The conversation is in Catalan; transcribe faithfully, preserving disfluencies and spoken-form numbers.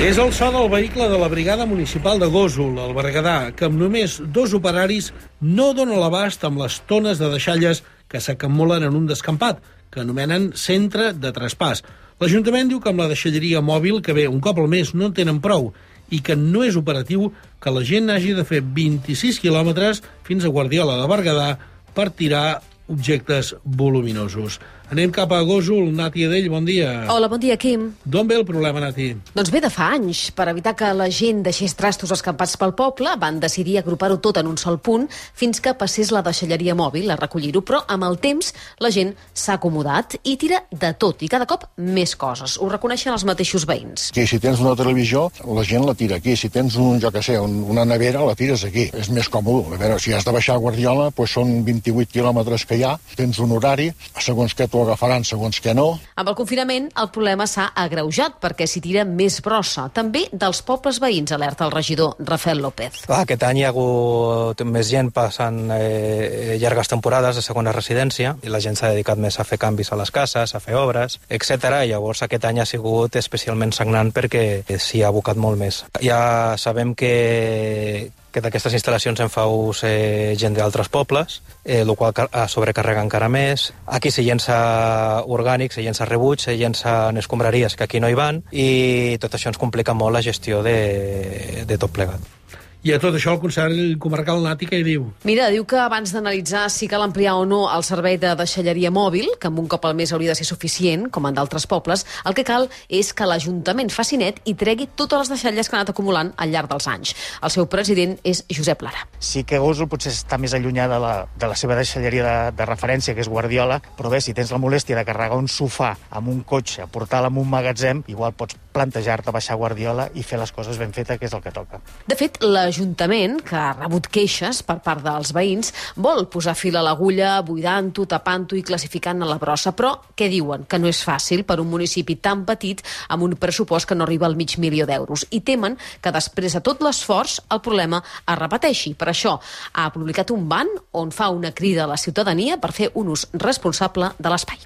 És el so del vehicle de la Brigada Municipal de Gósol, al Berguedà, que amb només dos operaris no dona l'abast amb les tones de deixalles que s'acumulen en un descampat, que anomenen centre de traspàs. L'Ajuntament diu que amb la deixalleria mòbil, que ve un cop al mes, no en tenen prou i que no és operatiu que la gent hagi de fer vint-i-sis quilòmetres fins a Guardiola de Berguedà per tirar objectes voluminosos. Anem cap a Gósol. Nati Adell, bon dia. Hola, bon dia, Quim. D'on ve el problema, Nati? Doncs ve de fa anys. Per evitar que la gent deixés trastos escampats pel poble, van decidir agrupar-ho tot en un sol punt fins que passés la deixalleria mòbil a recollir-ho, però amb el temps la gent s'ha acomodat i tira de tot, i cada cop més coses. Ho reconeixen els mateixos veïns. Que si tens una televisió, la gent la tira aquí. Si tens un, jo que sé, una nevera, la tires aquí. És més còmode. A veure, si has de baixar a Guardiola, doncs són vint-i-vuit quilòmetres que hi ha, tens un horari, segons què t'ho agafaran, segons què no. Amb el confinament, el problema s'ha agreujat perquè s'hi tira més brossa. També dels pobles veïns, alerta el regidor Rafael López. Ah, aquest any hi ha hagut més gent passant eh, llargues temporades de segona residència i la gent s'ha dedicat més a fer canvis a les cases, a fer obres, etcètera. I llavors aquest any ha sigut especialment sagnant perquè s'hi ha abocat molt més. Ja sabem que que d'aquestes instal·lacions en fa ús eh, gent d'altres pobles, eh, el qual sobrecarrega encara més. Aquí se llença orgànic, se llença rebuig, se llencen escombraries que aquí no hi van, i tot això ens complica molt la gestió de, de tot plegat. I a tot això el Consell Comarcal, Nati, què hi diu? Mira, diu que abans d'analitzar si cal ampliar o no el servei de deixalleria mòbil, que amb un cop al mes hauria de ser suficient, com en d'altres pobles, el que cal és que l'Ajuntament faci net i tregui totes les deixalles que han anat acumulant al llarg dels anys. El seu president és Josep Lara. Sí que Gósol potser està més allunyada de la, de la seva deixalleria de, de referència, que és Guardiola, però bé, si tens la molèstia de carregar un sofà amb un cotxe, portar-lo en un magatzem, igual pots plantejar-te baixar a Guardiola i fer les coses ben fetes, que és el que toca. De fet, l'Ajuntament, que ha rebut queixes per part dels veïns, vol posar fil a l'agulla, buidant-ho, tapant-ho i classificant a la brossa, però què diuen? Que no és fàcil per un municipi tan petit amb un pressupost que no arriba al mig milió d'euros, i temen que després de tot l'esforç el problema es repeteixi. Per això ha publicat un ban on fa una crida a la ciutadania per fer un ús responsable de l'espai.